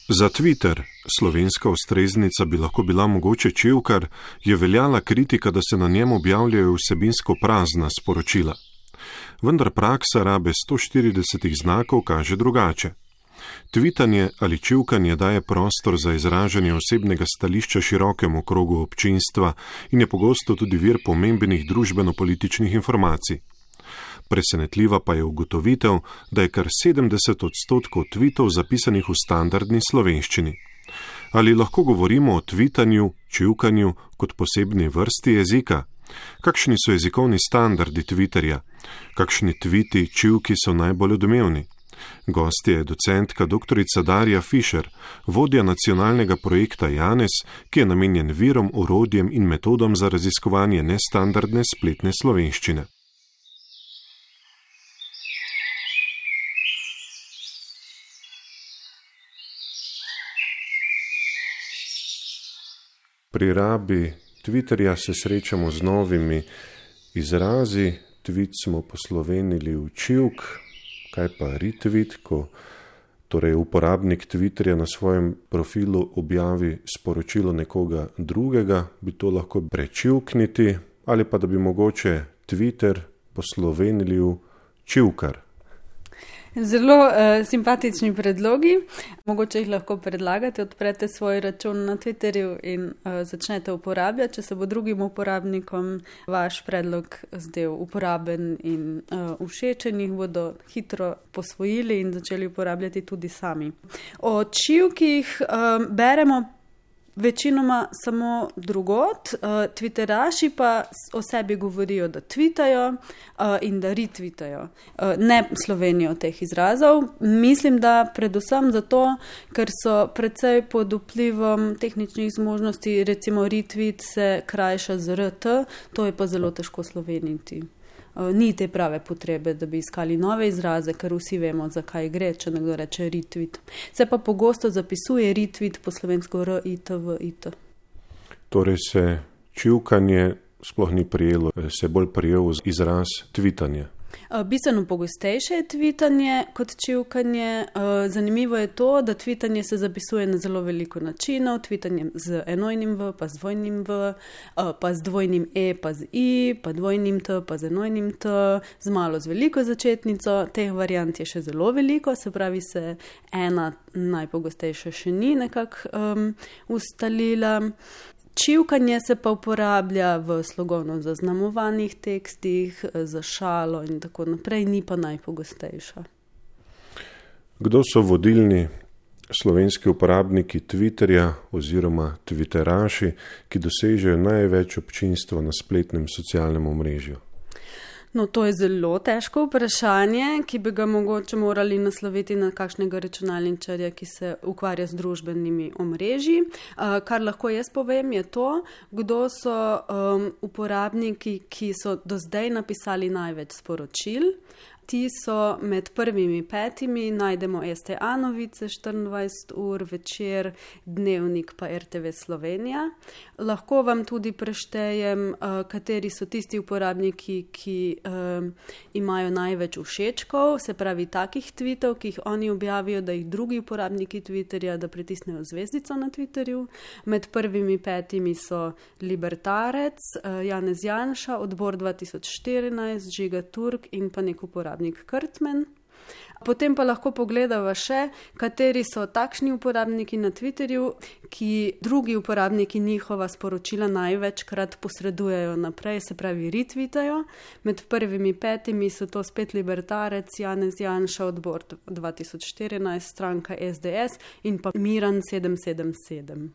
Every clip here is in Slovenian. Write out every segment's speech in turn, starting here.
Za Twitter, slovenska ustreznica bi lahko bila mogoče Čivkar, je veljala kritika, da se na njem objavljajo vsebinsko prazna sporočila. Vendar praksa rabe 140 znakov kaže drugače. Tvitanje ali čivkanje daje prostor za izražanje osebnega stališča širokemu krogu občinstva in je pogosto tudi vir pomembnih družbeno-političnih informacij. Presenetljiva pa je ugotovitev, da je kar 70% tvitov zapisanih v standardni slovenščini. Ali lahko govorimo o tvitanju, čivkanju kot posebni vrsti jezika? Kakšni so jezikovni standardi Twitterja? Kakšni tviti, čivki so najbolj odmevni? Gostja je docentka dr. Darja Fišer, vodja nacionalnega projekta Janez, ki je namenjen virom, orodjem in metodom za raziskovanje nestandardne spletne slovenščine. Pri rabi Twitterja se srečamo z novimi izrazi. Tweet smo poslovenili v čivk. Kaj pa retweet, ko torej uporabnik Twitterja na svojem profilu objavi sporočilo nekoga drugega, bi to lahko prečivkniti, ali pa da bi mogoče Twitter poslovenili v čivkar. Zelo simpatični predlogi. Mogoče jih lahko predlagate, odprete svoj račun na Twitterju in začnete uporabljati. Če se bo drugim uporabnikom vaš predlog zdel uporaben in všečen, jih bodo hitro posvojili in začeli uporabljati tudi sami. O čivkih beremo večinoma samo drugot, twitteraši pa o sebi govorijo, da tvitajo in da retvitajo. Ne slovenijo teh izrazov. Mislim, da predvsem zato, ker so precej pod vplivom tehničnih zmožnosti, recimo retweet se krajša z RT, to je pa zelo težko sloveniti. Ni te prave potrebe, da bi iskali nove izraze, ker vsi vemo, zakaj gre, če nekdo reče retweet. Se pa pogosto zapisuje retweet po slovensko R-I-T-V-I-T. Torej se čivkanje sploh ni prijelo, se bolj prijel izraz tvitanje. Bistveno pogostejše je tvitanje kot čivkanje. Zanimivo je to, da tvitanje se zapisuje na zelo veliko načinov. Tvitanje z enojnim V, pa z dvojnim V, pa z dvojnim E, pa z I, pa dvojnim T, pa z enojnim T, z malo z veliko začetnico. Teh variant je še zelo veliko, se pravi se ena najpogostejša še ni nekako ustalila. Čivkanje se pa uporablja v slogovno zaznamovanih tekstih, za šalo in tako naprej, ni pa najpogostejša. Kdo so vodilni slovenski uporabniki Twitterja oziroma twitteraši, ki dosežejo največ občinstva na spletnem socialnem omrežju? No, to je zelo težko vprašanje, ki bi ga mogoče morali nasloviti na kakšnega računalničarja, ki se ukvarja z družbenimi omrežji. Kar lahko jaz povem, je to, kdo so uporabniki, ki so do zdaj napisali največ sporočil. Ti so med prvimi 5, najdemo STA novice 24 ur, Večer, Dnevnik pa RTV Slovenija. Lahko vam tudi preštejem, kateri so tisti uporabniki, ki imajo največ všečkov, se pravi takih tweetov, ki jih oni objavijo, da jih drugi uporabniki Twitterja, da pritisnejo zvezdico na Twitterju. Med prvimi 5 so Libertarec, Janez Janša, Odbor 2014, Žiga Turk in pa nek uporabnik Krtmen. Potem pa lahko pogledava še, kateri so takšni uporabniki na Twitterju, ki drugi uporabniki njihova sporočila največkrat posredujejo naprej, se pravi retvitajo. Med prvimi 5 so to spet Libertarec, Janez Janša, Odbor 2014, stranka SDS in pa Miran 777.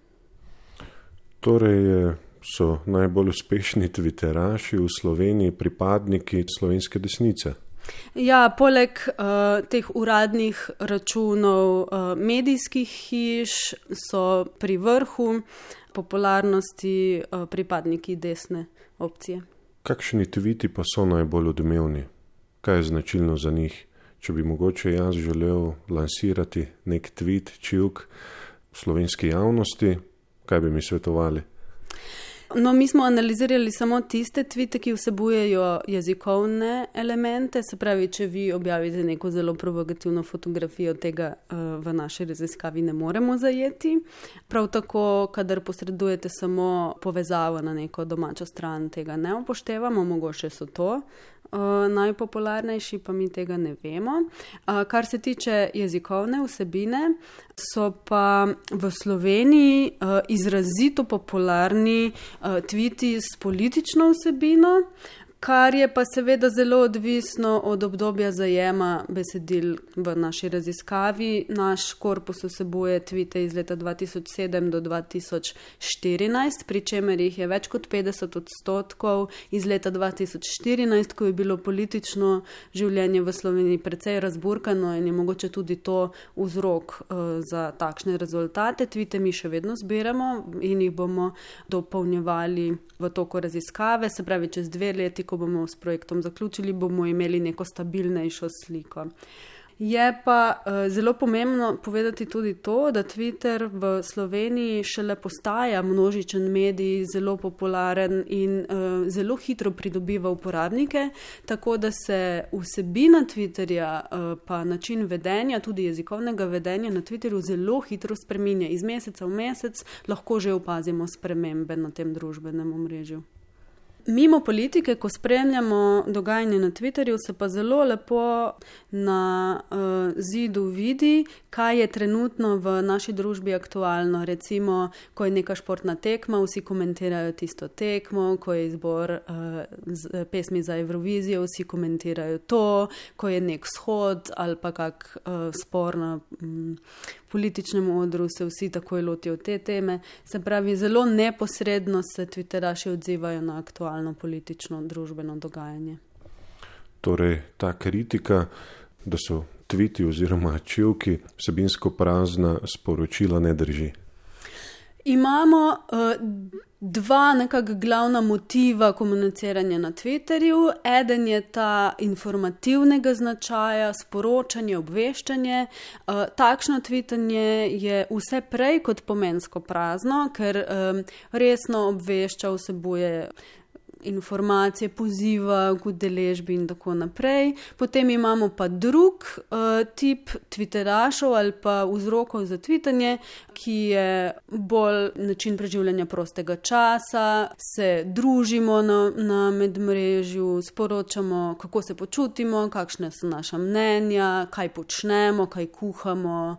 Torej so najbolj uspešni twitteraši v Sloveniji pripadniki slovenske desnice. Ja, poleg teh uradnih računov medijskih hiš so pri vrhu popularnosti pripadniki desne opcije. Kakšni tviti pa so najbolj odmevni? Kaj je značilno za njih? Če bi mogoče jaz želel lansirati nek tweet, čivk v slovenski javnosti, kaj bi mi svetovali? No, mi smo analizirali samo tiste tvite, ki vsebujejo jezikovne elemente, se pravi, če vi objavite neko zelo provokativno fotografijo, tega v naši raziskavi ne moremo zajeti. Prav tako, kadar posredujete samo povezavo na neko domačo stran, tega ne upoštevamo, mogoče so to najpopularnejši, pa mi tega ne vemo. Kar se tiče jezikovne vsebine, so pa v Sloveniji izrazito popularni tviti s politično vsebino, kar je pa seveda zelo odvisno od obdobja zajema besedil v naši raziskavi. Naš korpus vsebuje tvite iz leta 2007 do 2014, pri čemer jih je več kot 50% iz leta 2014, ko je bilo politično življenje v Sloveniji precej razburkano in je mogoče tudi to vzrok za takšne rezultate. Tvite mi še vedno zbiramo in jih bomo dopolnjevali v toku raziskave, se pravi čez 2 leti, ko bomo s projektom zaključili, bomo imeli neko stabilnejšo sliko. Je pa zelo pomembno povedati tudi to, da Twitter v Sloveniji šele postaja množičen medij, zelo popularen in zelo hitro pridobiva uporabnike, tako da se vsebina Twitterja pa način vedenja, tudi jezikovnega vedenja na Twitterju zelo hitro spreminja. Iz meseca v mesec lahko že opazimo spremembe na tem družbenem omrežju. Mimo politike, ko spremljamo dogajanje na Twitterju, se pa zelo lepo na zidu vidi, kaj je trenutno v naši družbi aktualno. Recimo, ko je neka športna tekma, vsi komentirajo tisto tekmo, ko je izbor pesmi za Evrovizijo, vsi komentirajo to, ko je nek shod ali pa kak spor na političnem odru, se vsi takoj lotijo te teme. Se pravi, zelo neposredno se Twitteraši odzivajo na aktualno politično družbeno dogajanje. Torej, ta kritika, da so tviti oziroma čivki vsebinsko prazna sporočila, ne drži. Imamo dva nekako glavna motiva komuniciranja na Twitterju. Eden je ta informativnega značaja, sporočanje, obveščanje. Takšno tvitanje je vse prej kot pomensko prazno, ker resno obvešča, vsebuje informacije, poziva k udeležbi in tako naprej. Potem imamo pa drug tip twitterašov ali pa vzrokov za tvitanje, ki je bolj način preživljanja prostega časa, se družimo na medmrežju, sporočamo, kako se počutimo, kakšne so naša mnenja, kaj počnemo, kaj kuhamo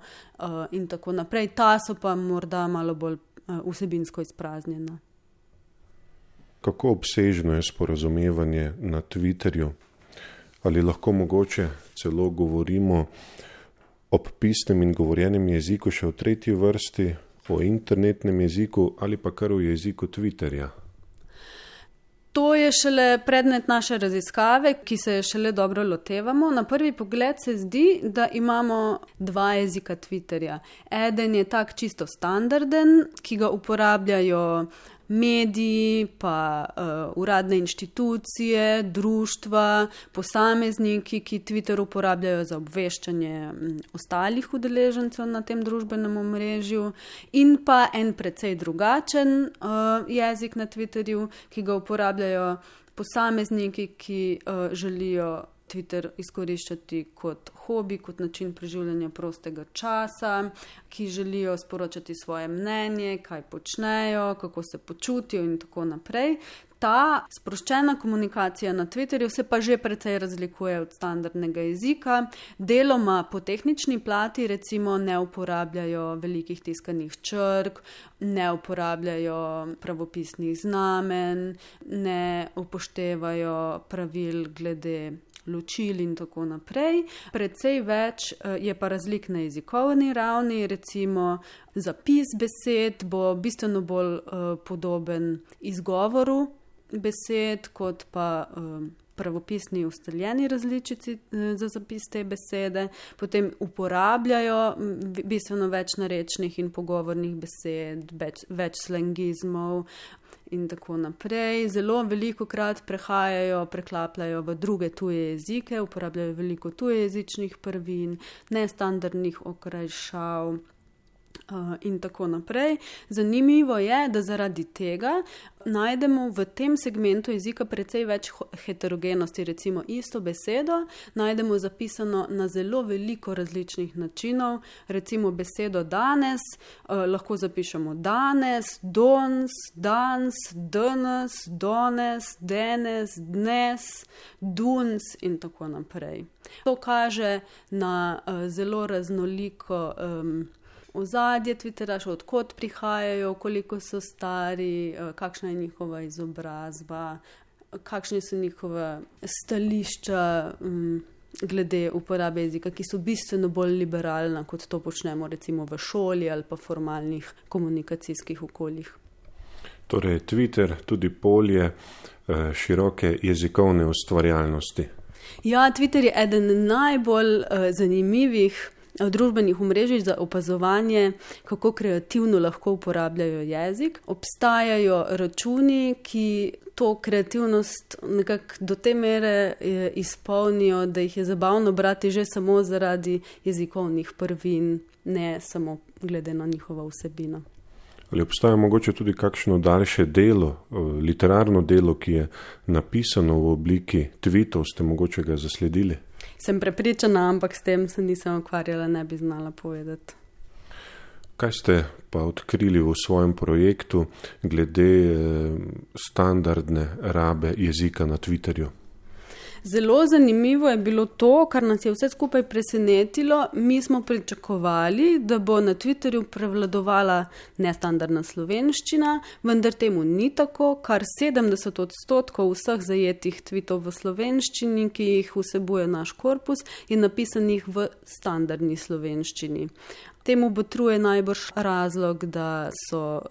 in tako naprej. Ta so pa morda malo bolj vsebinsko izpraznjena. Kako obsežno je sporazumevanje na Twitterju? Ali lahko mogoče celo govorimo ob pisnem in govorjenem jeziku še v tretji vrsti, o internetnem jeziku ali pa kar o jeziku Twitterja? To je šele predmet naše raziskave, ki se je šele dobro lotevamo. Na prvi pogled se zdi, da imamo 2 jezika Twitterja. Eden je tak čisto standarden, ki ga uporabljajo mediji, pa uradne inštitucije, društva, posamezniki, ki Twitter uporabljajo za obveščanje ostalih udeležencev na tem družbenem omrežju, in pa en precej drugačen jezik na Twitterju, ki ga uporabljajo posamezniki, ki želijo Twitter izkoriščati kot hobi, kot način preživljanja prostega časa, ki želijo sporočati svoje mnenje, kaj počnejo, kako se počutijo in tako naprej. Ta sproščena komunikacija na Twitterju se pa že precej razlikuje od standardnega jezika. Deloma po tehnični plati, recimo, ne uporabljajo velikih tiskanih črk, ne uporabljajo pravopisnih znamen, ne upoštevajo pravil glede ločil in tako naprej. Precej več je pa razlik na jezikovni ravni, recimo zapis besed bo bistveno bolj podoben izgovoru besed, kot pa pravopisni ustaljeni različici za zapis te besede. Potem uporabljajo bistveno več narečnih in pogovornih besed, več slangizmov in tako naprej. Zelo velikokrat preklapljajo v druge tuje jezike, uporabljajo veliko tujejezičnih prvin, nestandardnih okrajšav. in tako naprej. Zanimivo je, da zaradi tega najdemo v tem segmentu jezika precej več heterogenosti. Recimo isto besedo najdemo zapisano na zelo veliko različnih načinov. Recimo besedo danes lahko zapišemo danes, dons, dans, danes, dones, denes, dnes, duns in tako naprej. To kaže na zelo raznoliko ozadje Twitterašev, odkot prihajajo, koliko so stari, kakšna je njihova izobrazba, kakšne so njihova stališča glede uporabe jezika, ki so bistveno bolj liberalna, kot to počnemo recimo v šoli ali pa formalnih komunikacijskih okoljih. Torej, Twitter tudi polje široke jezikovne ustvarjalnosti. Ja, Twitter je eden najbolj zanimivih družbenih omrežij za opazovanje, kako kreativno lahko uporabljajo jezik. Obstajajo računi, ki to kreativnost nekako do te mere izpolnijo, da jih je zabavno brati že samo zaradi jezikovnih prvin, ne samo glede na njihovo vsebino. Ali obstaja mogoče tudi kakšno daljše delo, literarno delo, ki je napisano v obliki tweetov, ste mogoče ga zasledili? Sem prepričana, ampak s tem se nisem ukvarjala, ne bi znala povedati. Kaj ste pa odkrili v svojem projektu glede standardne rabe jezika na Twitterju? Zelo zanimivo je bilo to, kar nas je vse skupaj presenetilo. Mi smo pričakovali, da bo na Twitterju prevladovala nestandardna slovenščina, vendar temu ni tako, kar 70% vseh zajetih tweetov v slovenščini, ki jih vsebuje naš korpus, je napisanih v standardni slovenščini. Temu botruje najbrž razlog, da so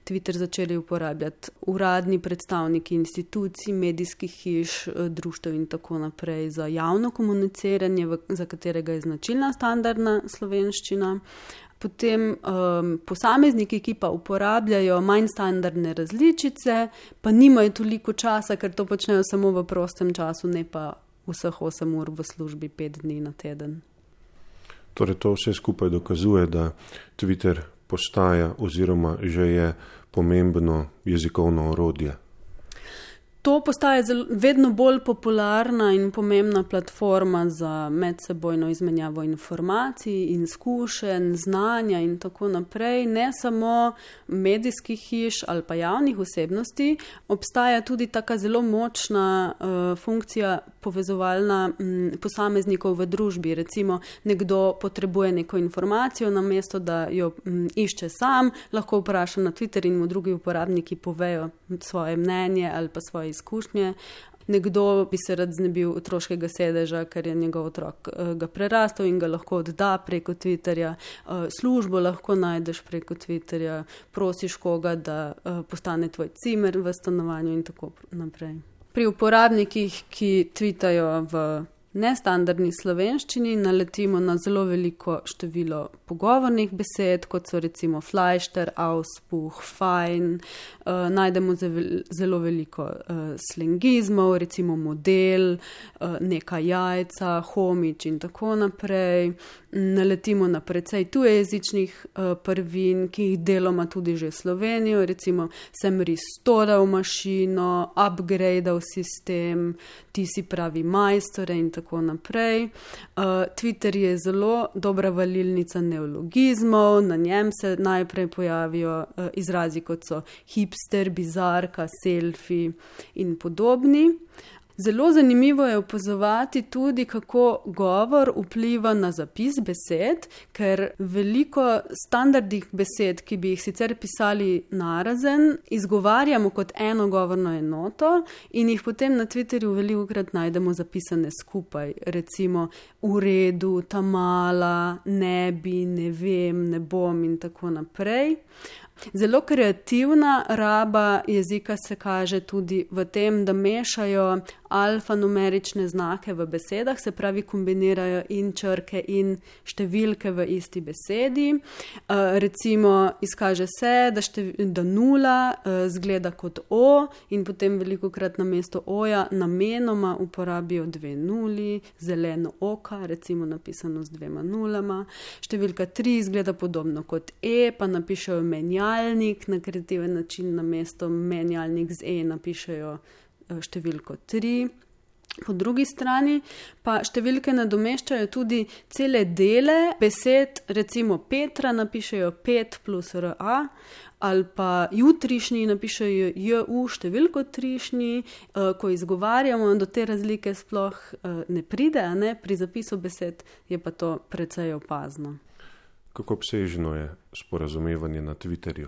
Twitter začeli uporabljati uradni predstavniki institucij, medijskih hiš, društev in tako naprej za javno komuniciranje, za katerega je značilna standardna slovenščina. Potem posamezniki, ki pa uporabljajo manj standardne različice, pa nimajo toliko časa, ker to počnejo samo v prostem času, ne pa vseh 8 ur v službi 5 dni na teden. Torej, to vse skupaj dokazuje, da Twitter postaja oziroma že je pomembno jezikovno orodje. To postaja vedno bolj popularna in pomembna platforma za medsebojno izmenjavo informacij, izkušenj, znanja in tako naprej. Ne samo medijskih hiš ali pa javnih osebnosti, obstaja tudi taka zelo močna funkcija povezovalna posameznikov v družbi. Recimo, nekdo potrebuje neko informacijo, namesto da jo išče sam, lahko vpraša na Twitter in mu drugi uporabniki povejo svoje mnenje ali pa svoje izkušnje. Nekdo bi se rad znebil otroškega sedeža, ker je njegov otrok ga prerastel in ga lahko odda preko Twitterja. Službo lahko najdeš preko Twitterja, prosiš koga, da postane tvoj cimer v stanovanju in tako naprej. Pri uporabnikih, ki tweetajo v nestandardni slovenščini, naletimo na zelo veliko število pogovornih besed, kot so recimo flajšter, auspuh, fajn. Najdemo zelo veliko slengizmov, recimo model, neka jajca, homič in tako naprej. Naletimo na precej tujejezičnih prvin, ki jih deloma tudi že Slovenijo, recimo sem restoral mašino, upgradeal sistem, ti si pravi majstore in tako naprej. Twitter je zelo dobra valilnica neologizmov, na njem se najprej pojavijo izrazi kot so hipster, bizarka, selfie in podobni. Zelo zanimivo je opazovati tudi, kako govor vpliva na zapis besed, ker veliko standardnih besed, ki bi jih sicer pisali narazen, izgovarjamo kot eno govorno enoto in jih potem na Twitterju velikokrat najdemo zapisane skupaj. Recimo v redu, tamala, ne bi, ne vem, ne bom in tako naprej. Zelo kreativna raba jezika se kaže tudi v tem, da mešajo alfanumerične znake v besedah, se pravi kombinirajo in črke in številke v isti besedi. Recimo izkaže se, da nula zgleda kot O in potem velikokrat namesto O-ja namenoma uporabijo 2 nuli, zeleno oka, recimo napisano z 2 nulama. Številka 3 izgleda podobno kot E, pa napišejo menjalnik, na kreativen način namesto menjalnik z E napišejo številko 3. Po drugi strani pa številke nadomeščajo tudi cele dele besed, recimo Petra napišejo 5 plus RA, ali pa jutrišnji napišejo JU številko trišnji, ko izgovarjamo, do te razlike sploh ne pride, ne? Pri zapisu besed je pa to precej opazno. Kako obsežno je sporazumevanje na Twitterju?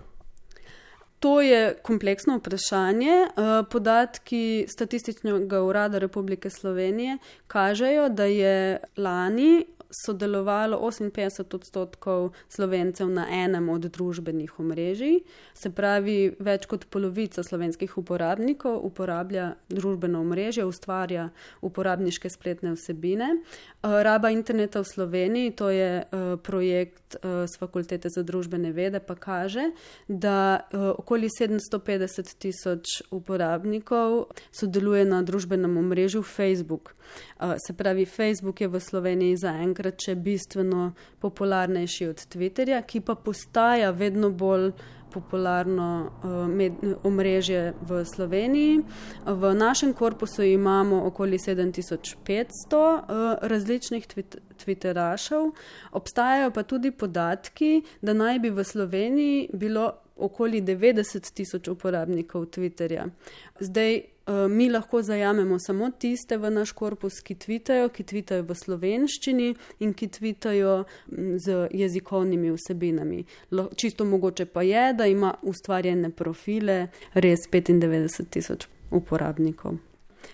To je kompleksno vprašanje. Podatki Statističnega urada Republike Slovenije kažejo, da je lani sodelovalo 58% Slovencev na enem od družbenih omrežij. Se pravi, več kot polovica slovenskih uporabnikov uporablja družbeno omrežje, ustvarja uporabniške spletne vsebine. Raba interneta v Sloveniji, to je projekt s Fakultete za družbene vede, pa kaže, da okoli 750,000 uporabnikov sodeluje na družbenem omrežju Facebook. Se pravi, Facebook je v Sloveniji zaenkrat še bistveno popularnejši od Twitterja, ki pa postaja vedno bolj popularno omrežje v Sloveniji. V našem korpusu imamo okoli 7500 različnih twitterašev. Obstajajo pa tudi podatki, da naj bi v Sloveniji bilo okoli 90,000 uporabnikov Twitterja. Zdaj, mi lahko zajamemo samo tiste v naš korpus, ki tvitajo v slovenščini in ki tvitajo z jezikovnimi vsebinami. Čisto mogoče pa je, da ima ustvarjene profile res 95,000 uporabnikov.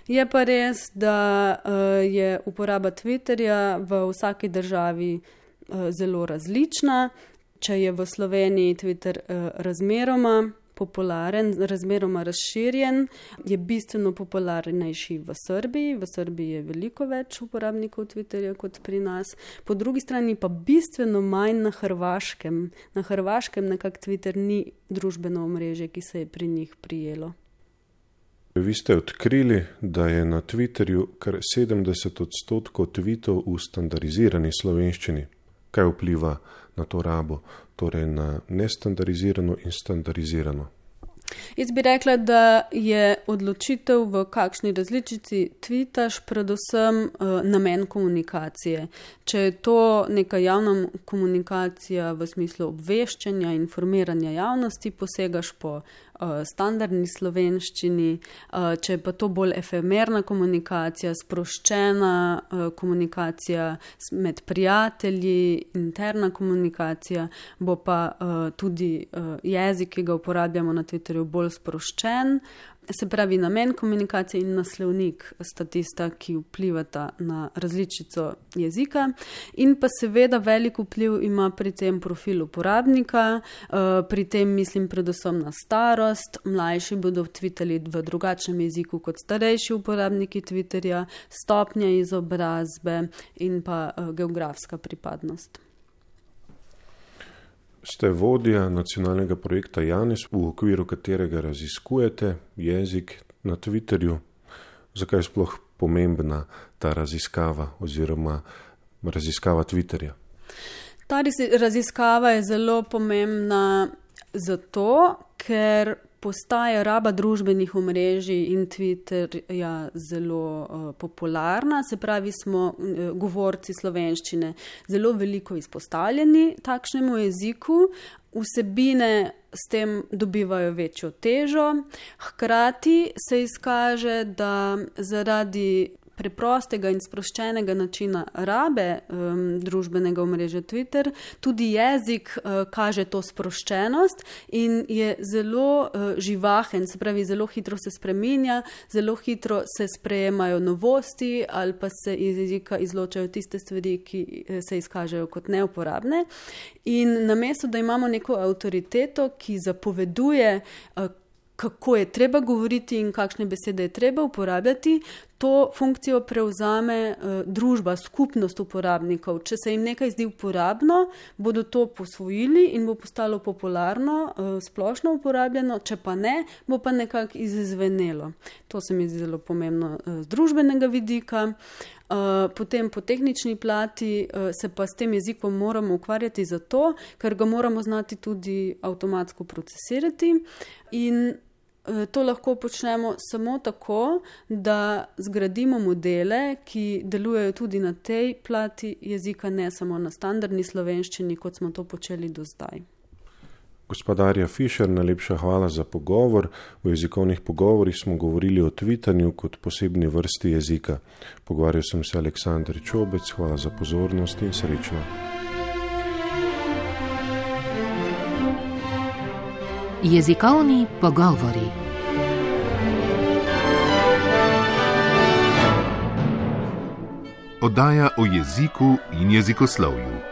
Je pa res, da je uporaba Twitterja v vsaki državi zelo različna. Če je v Sloveniji Twitter razmeroma popularen, razmeroma razširjen, je bistveno popularnejši v Srbiji. V Srbiji je veliko več uporabnikov Twitterja kot pri nas. Po drugi strani pa bistveno manj na Hrvaškem. Na Hrvaškem nekako Twitter ni družbeno omrežje, ki se je pri njih prijelo. Vi ste odkrili, da je na Twitterju kar 70% tweetov v standardizirani slovenščini. Kaj vpliva na to rabo, torej na nestandarizirano in standardizirano? Jaz bi rekla, da je odločitev, v kakšni različici tvitaš, predvsem namen komunikacije. Če je to neka javna komunikacija v smislu obveščanja, informiranja javnosti, posegaš po standardni slovenščini, če je pa to bolj efemerna komunikacija, sproščena komunikacija med prijatelji, interna komunikacija, bo pa tudi jezik, ki ga uporabljamo na Twitterju, bolj sproščen. Se pravi, namen komunikacije in naslovnik sta tista, ki vplivata na različico jezika. In pa seveda velik vpliv ima pri tem profil uporabnika, pri tem mislim predvsem na starost. Mlajši bodo tvitali v drugačnem jeziku kot starejši uporabniki Twitterja, stopnja izobrazbe in pa geografska pripadnost. Ste vodja nacionalnega projekta Janes, v okviru katerega raziskujete jezik na Twitterju. Zakaj je sploh pomembna ta raziskava oziroma raziskava Twitterja? Ta raziskava je zelo pomembna zato, ker postaja raba družbenih omrežij in Twitterja zelo popularna. Se pravi, smo govorci slovenščine zelo veliko izpostavljeni takšnemu jeziku. Vsebine s tem dobivajo večjo težo. Hkrati se izkaže, da zaradi preprostega in sproščenega načina rabe družbenega omrežja Twitter, tudi jezik kaže to sproščenost in je zelo živahen, se pravi, zelo hitro se spreminja, zelo hitro se sprejemajo novosti ali pa se iz jezika izločajo tiste stvari, ki se izkažejo kot neuporabne. In namesto, da imamo neko avtoriteto, ki zapoveduje, kako je treba govoriti in kakšne besede je treba uporabljati, to funkcijo prevzame družba, skupnost uporabnikov. Če se jim nekaj zdi uporabno, bodo to posvojili in bo postalo popularno, splošno uporabljeno, če pa ne, bo pa nekako izzvenelo. To se mi zdi zelo pomembno z družbenega vidika. Potem po tehnični plati se pa s tem jezikom moramo ukvarjati zato, ker ga moramo znati tudi avtomatsko procesirati in to lahko počnemo samo tako, da zgradimo modele, ki delujejo tudi na tej plati jezika, ne samo na standardni slovenščini, kot smo to počeli do zdaj. Gospa Darja Fišer, najlepša hvala za pogovor. V jezikovnih pogovorih smo govorili o twitanju kot posebni vrsti jezika. Pogovarjal sem se Aleksandr Čobec, hvala za pozornost in srečno. Jezikovni pogovori. Oddaja o jeziku in jezikoslovju.